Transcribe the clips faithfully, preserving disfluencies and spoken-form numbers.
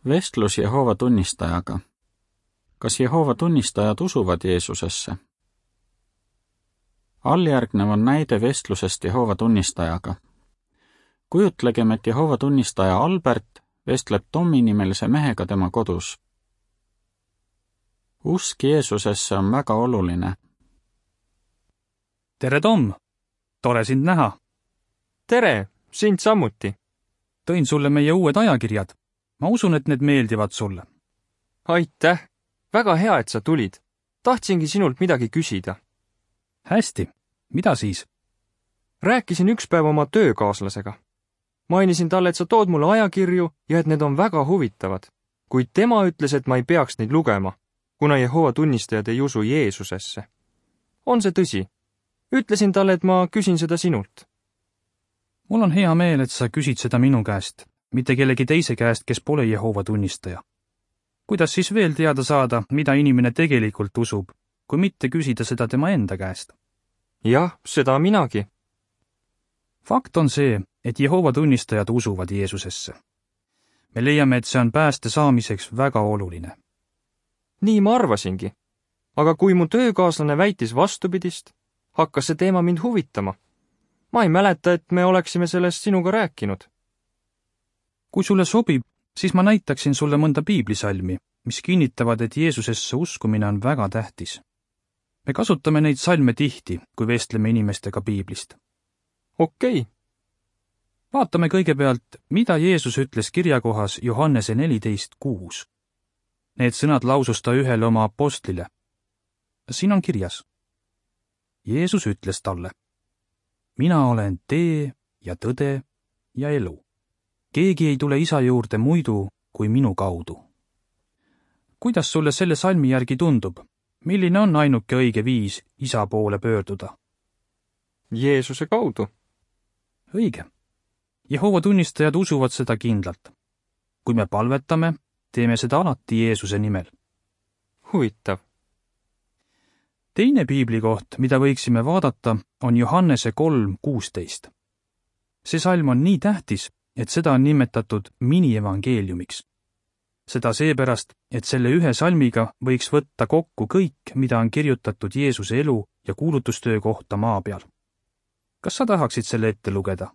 Vestlus Jehoova tunnistajaga. Kas Jehoova tunnistajad usuvad Jeesusesse? Alljärgnev on näide vestlusest Jehoova tunnistajaga. Kujutlegem, et Jehoova tunnistaja Albert vestleb Tommi nimelise mehega tema kodus. Usk Jeesusesse on väga oluline. Tere, Tom! Tore sind näha! Tere! Sind samuti! Tõin sulle meie uued ajakirjad. Ma usun, et need meeldivad sulle. Aitäh! Väga hea, et sa tulid. Tahtsingi sinult midagi küsida. Hästi. Mida siis? Rääkisin üks päev oma töökaaslasega. Mainisin talle, et sa tood mulle ajakirju ja et need on väga huvitavad. Kuid tema ütles, et ma ei peaks neid lugema, kuna Jehoova tunnistajad ei usu Jeesusesse. On see tõsi? Ütlesin talle, et ma küsin seda sinult. Mul on hea meel, et sa küsid seda minu käest, mitte kellegi teise käest, kes pole Jehoova tunnistaja. Kuidas siis veel teada saada, mida inimene tegelikult usub, kui mitte küsida seda tema enda käest? Jah, seda minagi. Fakt on see, et Jehoova tunnistajad usuvad Jeesusesse. Me leiame, et see on pääste saamiseks väga oluline. Nii ma arvasingi. Aga kui mu töökaaslane väitis vastupidist, hakkas see teema mind huvitama. Ma ei mäleta, et me oleksime sellest sinuga rääkinud. Kui sulle sobib, siis ma näitaksin sulle mõnda piiblisalmi, mis kinnitavad, et Jeesusesse uskumine on väga tähtis. Me kasutame neid salme tihti, kui vestleme inimestega piiblist. Okei. Vaatame kõigepealt, mida Jeesus ütles kirjakohas Johannese neliteist kuus. Need sõnad lausus ta ühele oma apostlile. Siin on kirjas. Jeesus ütles talle: Mina olen tee ja tõde ja elu. Keegi ei tule isa juurde muidu kui minu kaudu. Kuidas sulle selle salmi järgi tundub? Milline on ainuke õige viis isa poole pöörduda? Jeesuse kaudu. Õige. Jehoova tunnistajad usuvad seda kindlalt. Kui me palvetame, teeme seda alati Jeesuse nimel. Huvitav. Teine piiblikoht, mida võiksime vaadata, on Johannese kolm kuusteist. See salm on nii tähtis, et seda on nimetatud mini-evangeeliumiks. Seda seepärast, et selle ühe salmiga võiks võtta kokku kõik, mida on kirjutatud Jeesuse elu ja kuulutustöö kohta maa peal. Kas sa tahaksid selle ette lugeda?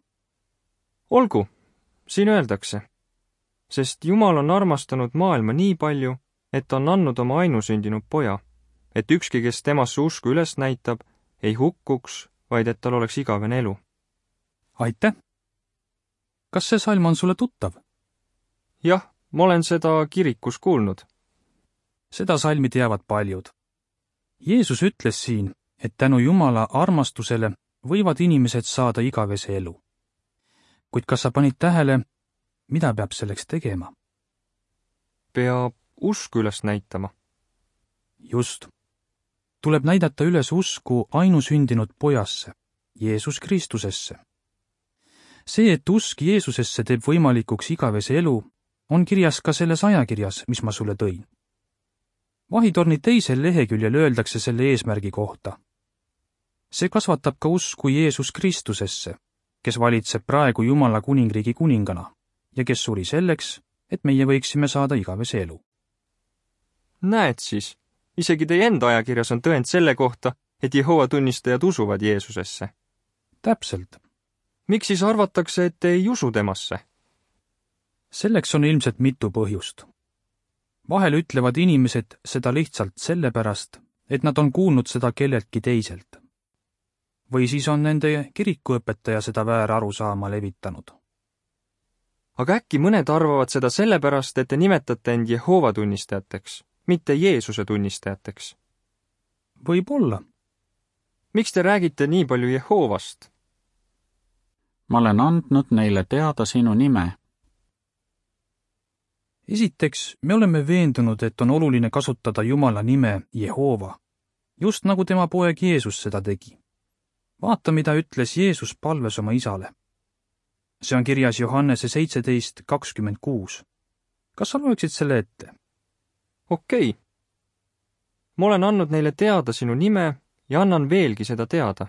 Olgu, siin öeldakse, sest Jumal on armastanud maailma nii palju, et on andnud oma ainusündinud poja, et ükski, kes temasse usku üles näitab, ei hukkuks, vaid et tal oleks igavene elu. Aitäh! Kas see salm on sulle tuttav? Jah, ma olen seda kirikus kuulnud. Seda salmi teavad paljud. Jeesus ütles siin, et tänu Jumala armastusele võivad inimesed saada igavese elu. Kuid kas sa panid tähele, mida peab selleks tegema? Peab usku üles näitama. Just. Tuleb näidata üles usku ainusündinud pojasse, Jeesus Kristusesse. See, et usk Jeesusesse teeb võimalikuks igavese elu, on kirjas ka selles ajakirjas, mis ma sulle tõin. Vahitorni teisel leheküljel öeldakse selle eesmärgi kohta. See kasvatab ka usku Jeesus Kristusesse, kes valitseb praegu Jumala kuningriigi kuningana ja kes suri selleks, et meie võiksime saada igavese elu. Näed siis, isegi teie enda ajakirjas on tõend selle kohta, et Jehoova tunnistajad usuvad Jeesusesse. Täpselt. Miks siis arvatakse, et ei usu temasse? Selleks on ilmselt mitu põhjust. Vahel ütlevad inimesed seda lihtsalt sellepärast, et nad on kuulnud seda kelleltki teiselt. Või siis on nende kirikuõpetaja seda väär arusaama levitanud. Aga äkki mõned arvavad seda sellepärast, et te nimetate end Jehoova tunnistajateks, mitte Jeesuse tunnistajateks? Võib-olla. Miks te räägite nii palju Jehoovast? Ma olen andnud neile teada sinu nime. Esiteks, me oleme veendunud, et on oluline kasutada Jumala nime Jehoova, just nagu tema poeg Jeesus seda tegi. Vaata, mida ütles Jeesus palves oma isale. See on kirjas Johannese seitseteist kakskümmend kuus. Kas sa loeksid selle ette? Okei. Ma olen andnud neile teada sinu nime ja annan veelgi seda teada,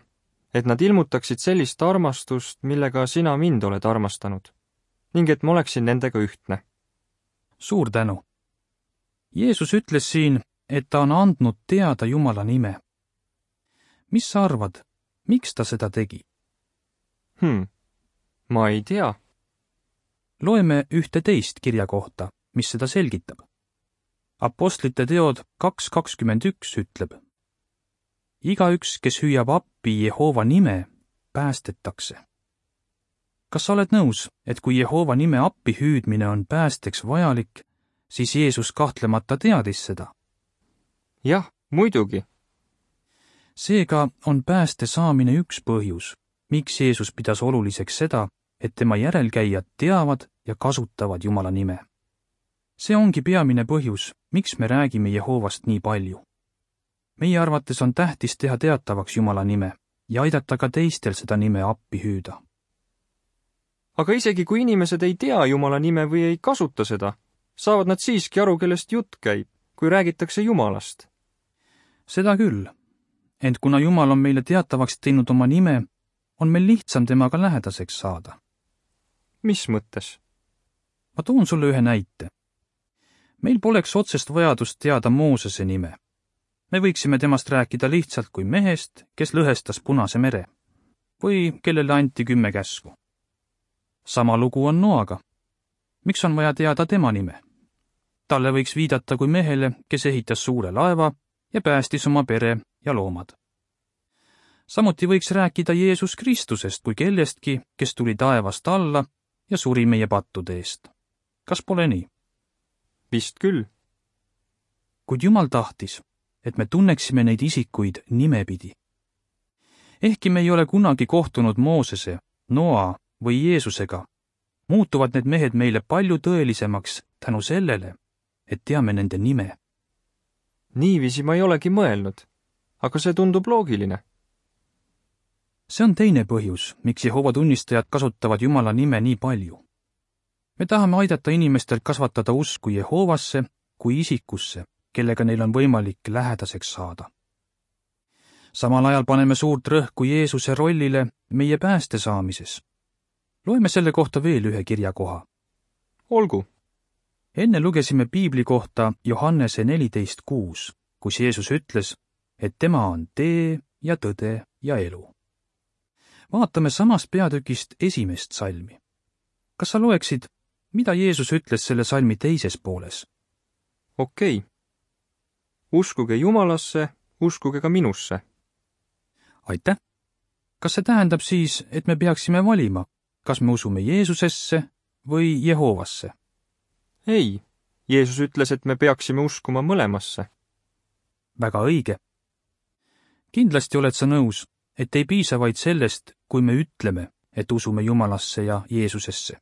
et nad ilmutaksid sellist armastust, millega sina mind oled armastanud, ning et ma oleksin nendega ühtne. suur tänu! Jeesus ütles siin, et ta on andnud teada Jumala nime. Mis sa arvad, miks ta seda tegi? Hmm, ma ei tea. Loeme ühte teist kirja kohta, mis seda selgitab. Apostlite teod kaks kakskümmend üks ütleb: igaüks, kes hüüab appi Jehova nime, päästetakse. Kas sa oled nõus, et kui Jehova nime appi hüüdmine on päästeks vajalik, siis Jeesus kahtlemata teadis seda? Jah, muidugi. Seega on pääste saamine üks põhjus, miks Jeesus pidas oluliseks seda, et tema järelkäijad teavad ja kasutavad Jumala nime. See ongi peamine põhjus, miks me räägime Jehovast nii palju. Meie arvates on tähtis teha teatavaks Jumala nime ja aidata ka teistel seda nime appi hüüda. Aga isegi kui inimesed ei tea Jumala nime või ei kasuta seda, saavad nad siiski aru, kellest jutt käib, kui räägitakse Jumalast. Seda küll, ent kuna Jumal on meile teatavaks teinud oma nime, on meil lihtsam temaga lähedaseks saada. Mis mõttes? Ma toon sulle ühe näite. Meil poleks otsest vajadust teada Moosese nime. Me võiksime temast rääkida lihtsalt kui mehest, kes lõhestas Punase mere või kellele anti kümme käsku. Sama lugu on Noaga. Miks on vaja teada tema nime? Talle võiks viidata kui mehele, kes ehitas suure laeva ja päästis oma pere ja loomad. Samuti võiks rääkida Jeesus Kristusest kui kellestki, kes tuli taevast alla ja suri meie pattude eest. Kas pole nii? Vist küll. Kuid Jumal tahtis, et me tunneksime neid isikuid nimepidi. Ehkki me ei ole kunagi kohtunud Moosese, Noa või Jeesusega, muutuvad need mehed meile palju tõelisemaks tänu sellele, et teame nende nime. Niiviisi ma ei olegi mõelnud, aga see tundub loogiline. See on teine põhjus, miks Jehova tunnistajad kasutavad Jumala nime nii palju. Me tahame aidata inimestel kasvatada usku Jehovasse kui isikusse, kellega neil on võimalik lähedaseks saada. Samal ajal paneme suurt rõhku Jeesuse rollile meie pääste saamises. Loeme selle kohta veel ühe kirjakoha. Olgu. Enne lugesime Piibli kohta Johannese neliteist kuus, kus Jeesus ütles, et tema on tee ja tõde ja elu. Vaatame samast peatükist esimest salmi. Kas sa loeksid, mida Jeesus ütles selle salmi teises pooles? Okei. Okay. Uskuge Jumalasse, uskuge ka minusse. Aitäh. Kas see tähendab siis, et me peaksime valima, kas me usume Jeesusesse või Jehovasse? Ei. Jeesus ütles, et me peaksime uskuma mõlemasse. Väga õige. Kindlasti oled sa nõus, et ei piisa vaid sellest, kui me ütleme, et usume Jumalasse ja Jeesusesse.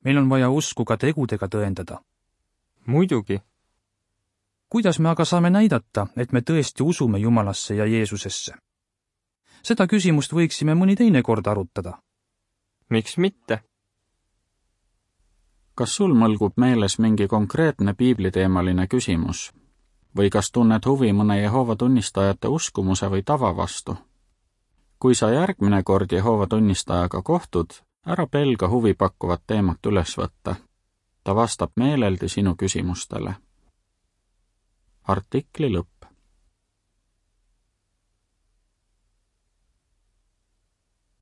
Meil on vaja usku ka tegudega tõendada. Muidugi. Kuidas me aga saame näidata, et me tõesti usume Jumalasse ja Jeesusesse? Seda küsimust võiksime mõni teine kord arutada. Miks mitte? Kas sul mõlgub meeles mingi konkreetne piibliteemaline küsimus? Või kas tunned huvi mõne Jehova tunnistajate uskumuse või tava vastu? Kui sa järgmine kord Jehova tunnistajaga kohtud, ära pelga huvipakkuvat teemat üles võtta. Ta vastab meeleldi sinu küsimustele. Artikli lõpp.